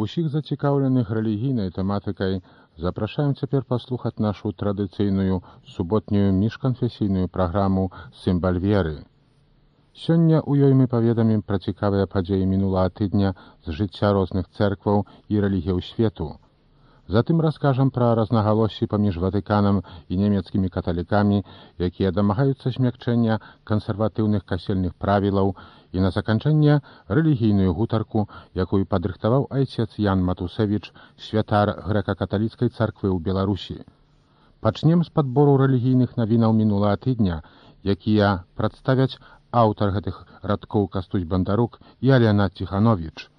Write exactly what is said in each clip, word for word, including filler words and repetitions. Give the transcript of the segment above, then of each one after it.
Усіх зацікаўленых рэлігійнай тэматыкай запрашаем цяпер паслухаць нашу традыцыйную суботнюю міжканфесійную праграму «Сімбаль веры». Сёння ў ёй мы паведамім пра цікавыя падзеі мінулага тыдня з жыцця розных цэркваў і рэлігіяў свету. Затым раскажам пра рознагалоссі паміж Ватыканам і нямецкімі каталікамі, якія дамагаюцца змякчэння кансерватыўных касельных правілаў, і на заканчэнне рэлігійную гутарку, якую падрыхтаваў айцец Ян Матусевіч, святар грэка-каталіцкай царквы ў Беларусі. Пачнем з падбору рэлігійных навінаў мінулага тыдня, якія прадставяць аўтар гэтых радкоў Кастусь Бандарук і Алена Ціхановіч.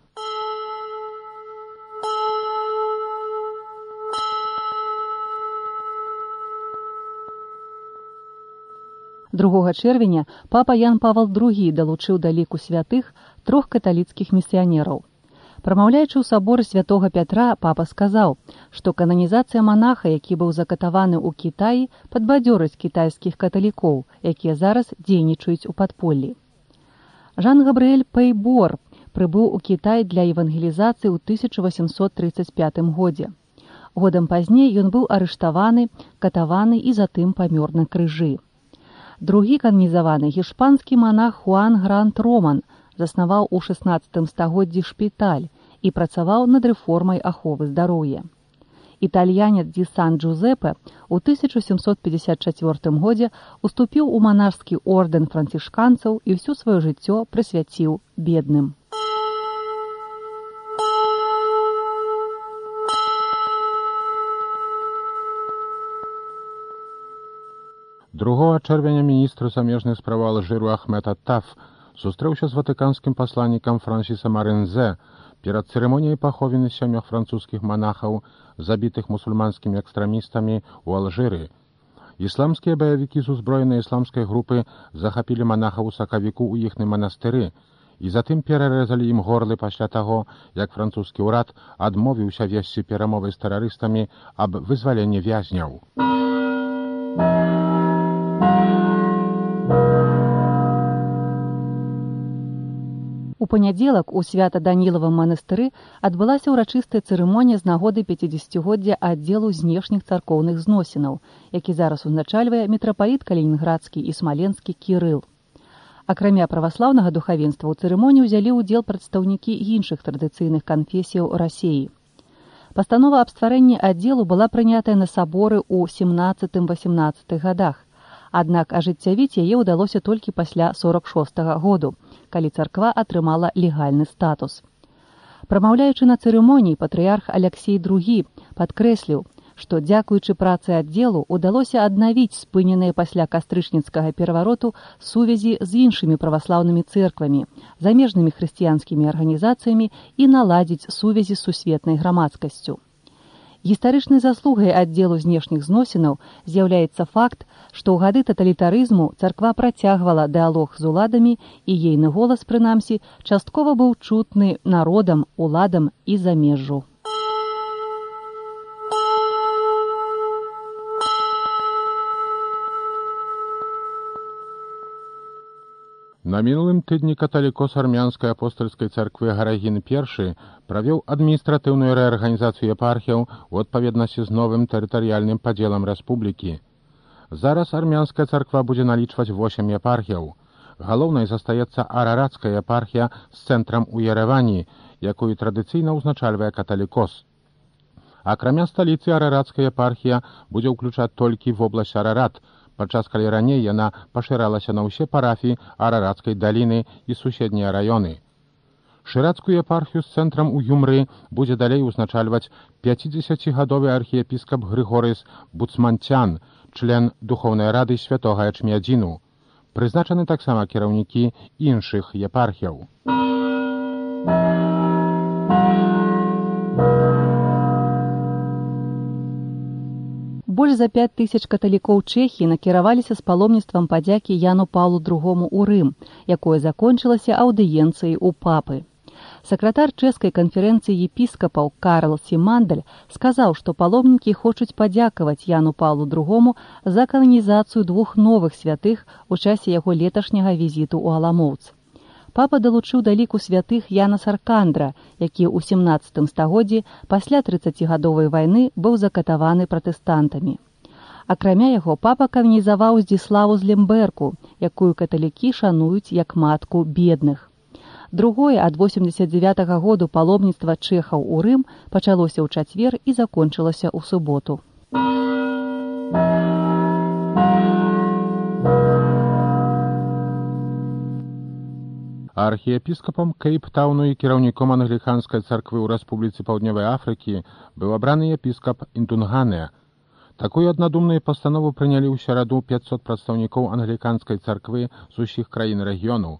другога чэрвеня папа Ян Павал другі далучыў да ліку святых трох каталіцкіх місіянераў. Прамаўляючы ў саборы святога Пятра, папа сказаў, што кананізацыя манаха, які быў закатаваны ў Кітаі, падбадзёрыць кітайскіх каталікоў, якія зараз дзейнічаюць у падполлі. Жан-Габрыэль Пейбор прыбыў у Кітай для евангелізацыі ў тысяча васемсот трыццаць пятым годзе. Годам пазней ён быў арыштаваны, катаваны і затым памёр на крыжы. Другі кананізаваны гішпанскі монах Хуан Грант Роман заснаваў у шаснаццатым стагоддзі шпіталь і працаваў над рэформай аховы здароўя. Італьянец Ді Сан-Джузепе ў тысяча сямсот пятьдесят чацвёртым годзе уступіў у манашскі ордэн францішканцаў і ўсё сваё жыццё прысвяціў бедным. другога чэрвеня міністр замежных справ Алжыру Ахмед Аттаф сустрэўся з ватыканскім пасланнікам Франсісам Арэнзе перад цырымоніяй паховіны сямёх французскіх манахаў, забітых мусульманскімі экстрамістамі ў Алжыры. Ісламскія баявікі з узброенай ісламскай групы захапілі манахаў у сакавіку ў іхным манастыры і затым перарэзалі ім горлы пасля таго, як французскі ўрад адмовіўся весці перамовы з тэрарыстамі аб вызваленні вязняў. У панядзелак у Свята-Данілавым манастыры адбылася ўрачыстая цырымонія з нагоды пяцідзесяцігоддзя аддзелу знешніх царкоўных зносінаў, які зараз узначальвае мітрапаліт калінінградскі і смаленскі Кірыл. Акрамя праваслаўнага духавенства ў цырымоніі ўзялі ўдзел прадстаўнікі іншых традыцыйных канфесіяў Расіі. Пастанова аб стварэнні аддзелу была прынятая на саборы ў сямнаццатым-васемнаццатых гадах, аднак ажыццявіць яе ўдалося толькі пасля сорак шостага году, калі царква атрымала легальны статус. Прамаўляючы на цырымоніі, патрыярх Аляксей другі падкрэсліў, што дзякуючы працы аддзелу ўдалося аднавіць спыненыя пасля кастрычніцкага перавароту сувязі з іншымі праваслаўнымі цэрквамі, замежнымі хрысціянскімі арганізацыямі і наладзіць сувязі з сусветнай грамадскасцю. Гістарычнай заслугай аддзелу знешніх зносінаў з'яўляецца факт, што ў гады таталітарызму царква працягвала дыалог з уладамі і ейны голас, прынамсі, часткова быў чутны народам, уладам і замежжу. На мінулым тыдні каталікос армянскай апостальскай царквы Гарагін першы правёў адміністратыўную рэарганізацыю епархіяў у адпаведнасці з новым тэрытарыяльным падзелам рэспублікі. Зараз армянская царква будзе налічваць восем епархіяў. Галоўнай застаецца араратская епархія з цэнтрам у Ерэвані, якую традыцыйна ўзначальвае каталікос. Акрамя сталіцы араратская епархія будзе ўключаць толькі вобласць Арарат, падчас калі раней яна пашыралася на ўсе парафіі Араратскай даліны і суседнія раёны. Шырацкую епархію з цэнтрам у Юмры будзе далей узначальваць пяцідзесяцігадовы архіепіскап Грыгорыс Буцманцян, член Духоўнай рады святога Ячмядзіну. Прызначаны таксама кіраўнікі іншых епархіяў. Больш за пяць тысяч каталікоў Чэхіі накіраваліся з паломніцтвам падзякі Яну Паўлу другому ў Рым, якое закончылася аўдыенцыяй у папы. Сакратар чэшскай канферэнцыі епіскапаў Карл Сімандаль сказаў, што паломнікі хочуць падзякаваць Яну Паўлу другому за кананізацыю двух новых святых у часе яго леташняга візіту ў Аламоўц. папа далучыў да ліку святых Яна Саркандра, які ў сямнаццатым стагоддзі пасля трыццацігадовай вайны быў закатаваны пратэстантамі. Акрамя яго, папа кананізаваў Здзіславу з Лемберку, якую каталікі шануюць як матку бедных. Другое ад восемдзесят дзевятага году паломніцтва чэхаў у Рым пачалося ў чацвер і закончылася ў суботу. Архіепіскапам Кейптауну і кіраўніком англіканскай царквы ў Рэспубліцы Паўднёвай Афрыкі быў абраны епіскап Інтунгане. Такую аднадумную пастанову прынялі ў сераду пятьсот прадстаўнікоў англіканскай царквы з усіх краін рэгіёну.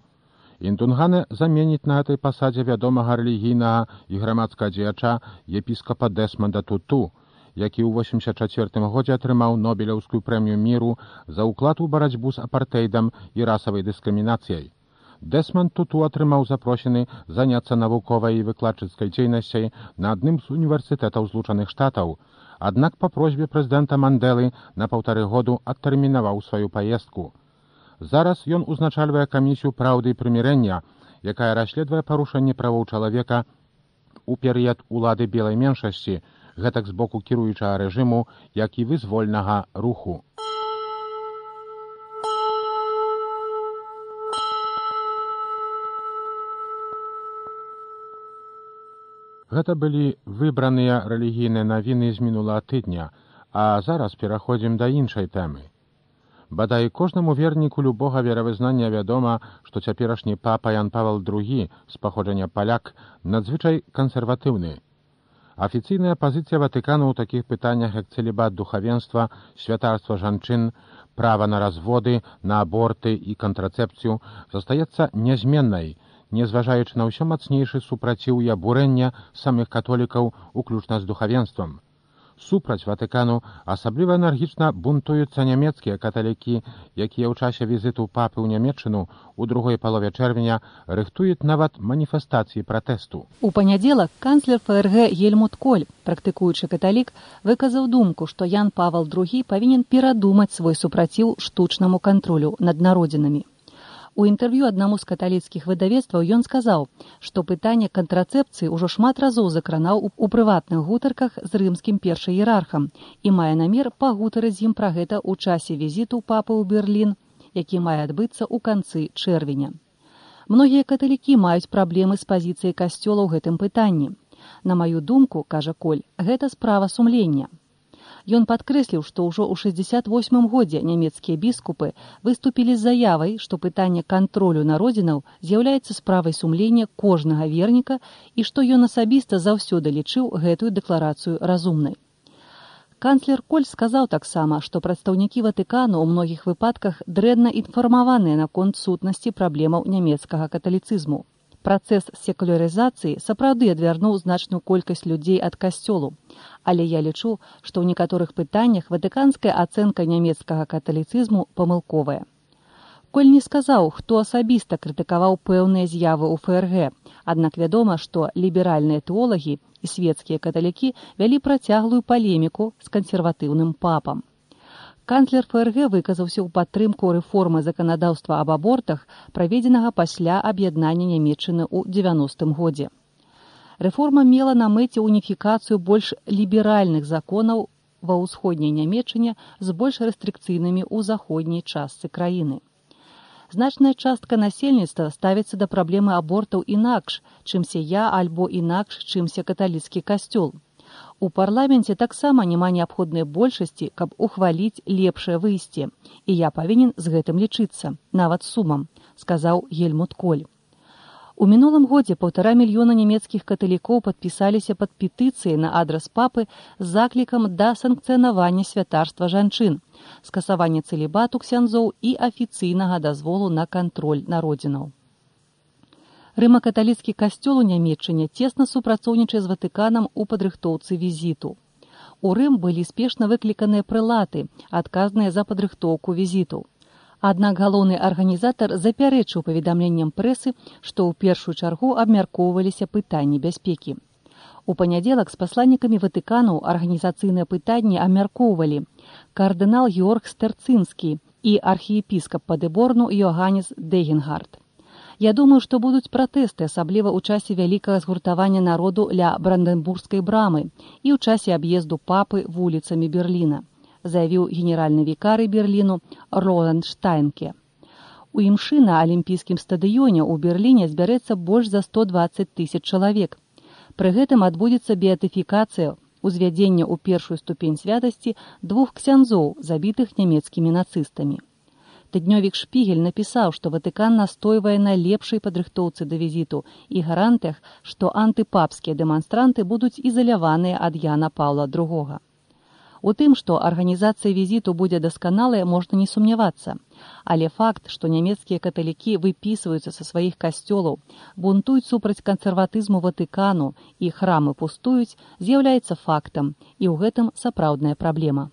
Інтунгане заменіць на гэтай пасадзе вядомага рэлігійнага і грамадскага дзеяча епіскапа Дэсманда Туту, які ў восемьдесят чацвёртым годзе атрымаў Нобелеўскую прэмію міру за ўклад у барацьбу з апартэйдам і расавай дыскрымінацыяй. Дэсманд Туту атрымаў запрошены заняцца навуковай і выкладчыцкай дзейнасцяй на адным з універсітэтаў Злучаных Штатаў, аднак па просьбе прэзідэнта Мандэлы на паўтары году адтэрмінаваў сваю паездку. Зараз ён узначальвае камісію праўды і прымірэння, якая расследуе парушэнне правоў чалавека у перыяд улады белай меншасці, гэтак з боку кіруючага рэжыму, як і вызвольнага руху. Гэта былі выбраныя рэлігійныя навіны з мінулага тыдня, а зараз пераходзім да іншай тэмы. Бадай кожнаму верніку любога веравызнання вядома, што цяперашні папа Ян Павел другі з паходжання паляк надзвычай кансерватыўны. Афіцыйная пазіцыя Ватыкану ў такіх пытаннях, як цэлібат духавенства, святарства жанчын, права на разводы, на аборты і кантрацэпцыю, застаецца нязменнай, незважаючы на ўсё мацнейшы супраціў і абурэння самых католікаў, уключна з духавенствам. Супраць Ватыкану асабліва энергічна бунтуюцца нямецкія каталікі, якія ў часе візіту папы ў Нямецчыну у другой палове чэрвеня рыхтуюць нават маніфестацыі пратэсту. У панядзелак канцлер ФРГ Гельмут Коль, практыкуючы каталік, выказаў думку, што Ян Павел другі павінен перадумаць свой супраціў штучнаму кантролю над народзінамі. У інтэрв'ю аднаму з каталіцкіх выдавецтваў ён сказаў, што пытанне кантрацэпцыі ўжо шмат разоў закранаў у прыватных гутарках з рымскім першым іерархам і мае намер пагутарыць з ім пра гэта ў часе візіту папы ў Берлін, які мае адбыцца ў канцы чэрвеня. Многія каталікі маюць праблемы з пазіцыяй касцёла ў гэтым пытанні. На маю думку, кажа Коль, гэта справа сумлення. Ён падкрэсліў, што ўжо ў шэсцьдзесят восьмым годзе нямецкія біскупы выступілі з заявай, што пытанне кантролю народзінаў з'яўляецца справай сумлення кожнага верніка і што ён асабіста заўсёды лічыў гэтую дэкларацыю разумнай. Канцлер Коль сказаў таксама, што прадстаўнікі Ватыкану ў многіх выпадках дрэнна інфармаваныя наконт сутнасці праблемаў нямецкага каталіцызму. Працэс секулярызацыі сапраўды адвярнуў значную колькасць людзей ад касцёлу, але я лічу, што ў некаторых пытаннях ватыканская ацэнка нямецкага каталіцызму памылковая. Коль не сказаў, хто асабіста крытыкаваў пэўныя з'явы ў ФРГ, аднак вядома, што ліберальныя тэолагі і свецкія каталікі вялі працяглую палеміку з кансерватыўным папам. Канцлер ФРГ выказаўся ў падтрымку рэформы заканадаўства аб абортах, праведзенага пасля аб'яднання Нямецчыны ў дзевяностым годзе. Рэформа мела на мэце уніфікацыю больш ліберальных законаў ва ўсходняй Нямецчыне з больш рэстрыкцыйнымі ў заходняй частцы краіны. Значная частка насельніцтва ставіцца да праблемы абортаў інакш, чымся я альбо інакш, чымся каталіцкі касцёл. У парламенце таксама няма неабходнай большасці, каб ухваліць лепшае выйсце, і я павінен з гэтым лічыцца, нават сумам, сказаў Гельмут Коль. У мінулым годзе паўтара мільёна нямецкіх каталікоў падпісаліся пад петыцыяй на адрас папы з заклікам да санкцыянавання святарства жанчын, скасавання цэлібату ксяндзоў і афіцыйнага дазволу на кантроль народзінаў. Рыма-каталіцкі касцёл у Нямецчыне цесна супрацоўнічае з Ватыканам у падрыхтоўцы візіту. У Рым былі спешна выкліканыя прэлаты, адказныя за падрыхтоўку візіту. Аднак галоўны арганізатар запярэчыў паведамленням прэсы, што ў першую чаргу абмяркоўваліся пытанні бяспекі. У панядзелак з пасланнікамі Ватыкану арганізацыйныя пытанні абмяркоўвалі кардынал Георг Стэрцынскі і архіепіскап Падэборну Йоганнес Дэгенгард. Я думаю, што будуць пратэсты, асабліва ў часе вялікага згуртавання народу ля Бранденбургскай брамы і ў часе аб'езду папы вуліцамі Берліна, заявіў генеральны вікарый Берліну Роланд Штайнке. У імшы на алімпійскім стадыёне ў Берліне збярэцца больш за сто дваццаць тысяч чалавек. Пры гэтым адбудзецца беатыфікацыя, узвядзення ў першую ступень святасці двух ксяндзоў, забітых нямецкімі нацыстамі. Тыднёвік «Шпігель» напісаў, што Ватыкан настойвае на лепшай падрыхтоўцы да візіту і гарантыях, што антыпапскія дэманстранты будуць ізаляваныя ад Яна Паўла другога. У тым, што арганізацыя візіту будзе дасканалая, можна не сумнявацца. Але факт, што нямецкія каталікі выпісваюцца са сваіх касцёлаў, бунтуюць супраць кансерватызму Ватыкану і храмы пустуюць, з'яўляецца фактам, і ў гэтым сапраўдная праблема.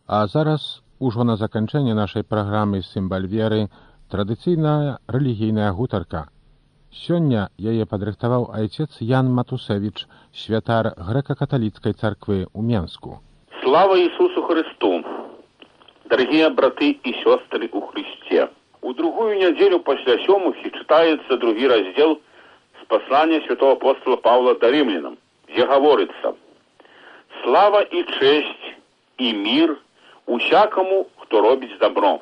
А зараз, ужо на заканчэнне нашай праграмы «Сімбаль веры», традыцыйная рэлігійная гутарка. Сёння яе падрыхтаваў айцец Ян Матусевіч, святар грэка-каталіцкай царквы ў Менску. Слава Ісусу Христу! Дорогие браты и сестры у Христе! У другую неделю после сёмухи читается другий раздел с послания святого апостола Павла до римлянам, где говорится: «Слава и честь и мир усякому, хто робить добро.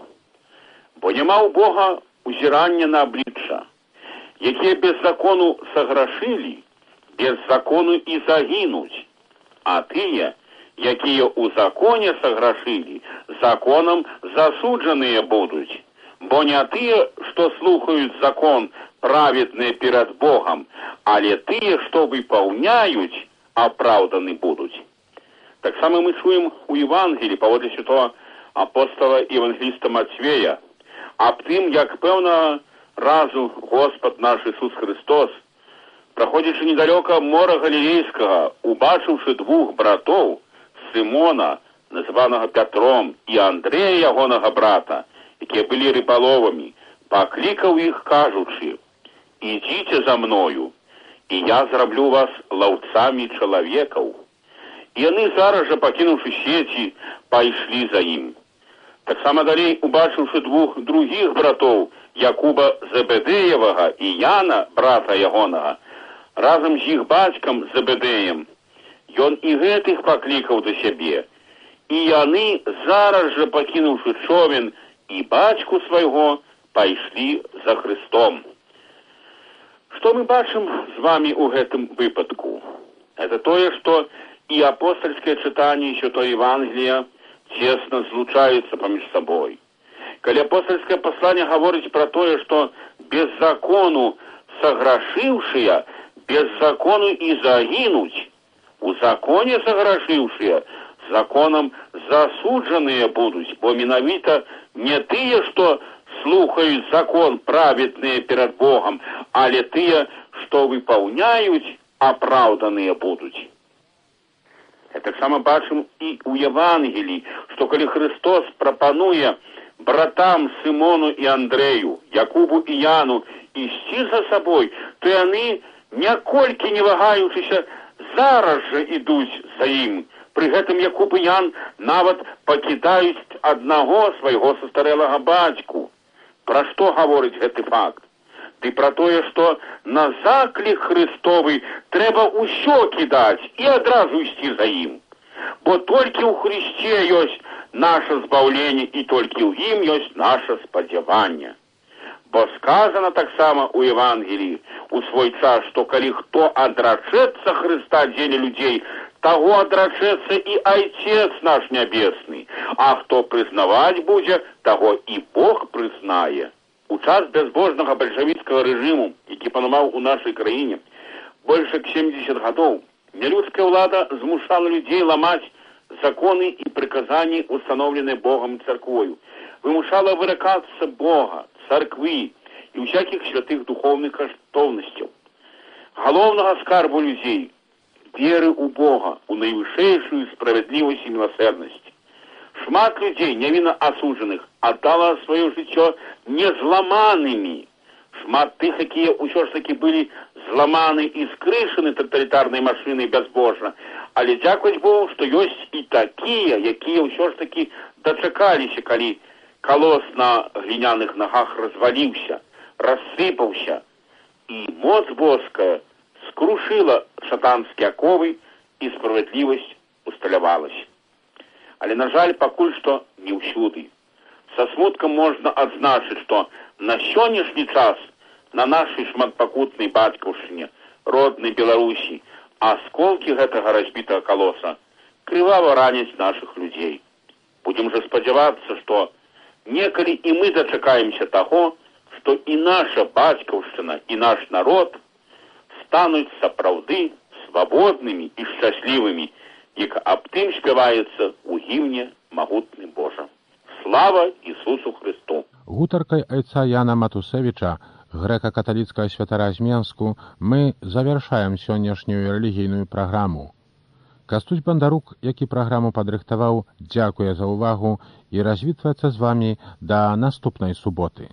Бо нема у Бога узирання на обличчя, які без закону сограшили, без закону и загинуть, а тые, якія у законе сограшили, законом засудженные будуть. Бо не тые, что слухают закон, праведные перед Богом, але тые, что выполняют, оправданы будут». Так само мы чуем у Евангелии, поводле святого апостола Евангелиста Матвея, об тим, як певного разу Господь наш Ісус Христос, проходячи недалеко мора Галілейського, убачивши двух братов, Симона, названого Петром, і Андрея, ягоного брата, які були риболовами, покликав їх, кажучи: «Ідіть за мною, і я зроблю вас ловцами чоловіків». І вони зараз же, покинувши сети, пошли за ним. Так само далей, убачивши двух других братов, Якуба Зебедеєвого і Яна, брата ягоного, разом з їх батьком Зебедеєм, ён і гэтых покликав до себе. І яны зараз же, покинувши човен і батьку свайго, пошли за Христом. Что мы бачим з вами у гэтым выпадку? Это тое, что и апостольское читание, и святое Евангелие тесно злучаются поміж собой. Коли апостольское послание говорит про то, что без закону сограшившие, без закону и загинуть, у законе сограшившие, законом засудженные будут, бо миновито не тые, что слухают закон праведные перед Богом, але тые, что выполняют, оправданные будут. Так само бачим і у Євангелії, що коли Христос пропонує братам Симону і Андрею, Якубу і Яну істи за собою, то вони, нікольки не вагаючися, зараз же ідуть за їм. При гэтым Якуб і Ян нават покидають одного свого состарелого батьку. Про що говорить гэты факт? Ды про тое, што на заклік Христовы трэба ўсё кідаць і адразу ісці за ім. Бо толькі ў Христе ёсць наше збаўленне і толькі ў ім ёсць наше спадзяванне. Бо сказано таксама у Евангелии у свой час, што калі хто адрачэцца Христа дзеля людзей, таго адрачэцца і Айцец наш Нябесны, а хто прызнаваць будзе, таго і Бог прызнае. У час безбожного бальшавіцкага рэжыму, які панаваў у нашай краіне больш як семьдесят гадоў, нелюдская ўлада змушала людзей ламаць законы і прыказанні, установленыя Богом і царквою, вымушала выракацца Бога, царквы і ўсякіх святых духовных каштоўнасцяў. Галоўнага скарбу людзей, веры ў Бога, у найвышэйшую справядлівасць і міласэрнасць. Шмат людей, невинно осужденных, отдало свое жыццё незламанными. Шмат тых, якія ўсё ж таки были зламаны і скрышаны тоталітарнай машинай безбожна, Але дзякуй Богу, што ёсць і такія, якія ўсё ж такі дачакаліся, калі калос на гліняных нагах разваліўся, рассыпаўся, і моц боская скрушыла шатанскія аковы, і справядлівасць усталявалася. Але, на жаль, пакуль што не ўсюды. Са смуткам можна адзначыць, што на сённяшні час на нашай шматпакутнай бацькаўшчыне, роднай Беларусі, асколкі гэтага разбітага калоса крывава раняць нашых людзей. Будзем жа спадзявацца, што некалі і мы дачакаемся таго, што і наша бацькаўшчына, і наш народ стануць сапраўды свабоднымі і шчаслівымі, як аб тым спяваецца ў гімне «Магутны Божа». Слава Ісусу Христу! Гутаркай айца Яна Матусевіча, грэка-каталіцкага святара з Менску, мы завяршаем сённяшнюю рэлігійную праграму. Кастусь Бандарук, які праграму падрыхтаваў, дзякуе за ўвагу і развітваецца з вамі да наступнай суботы.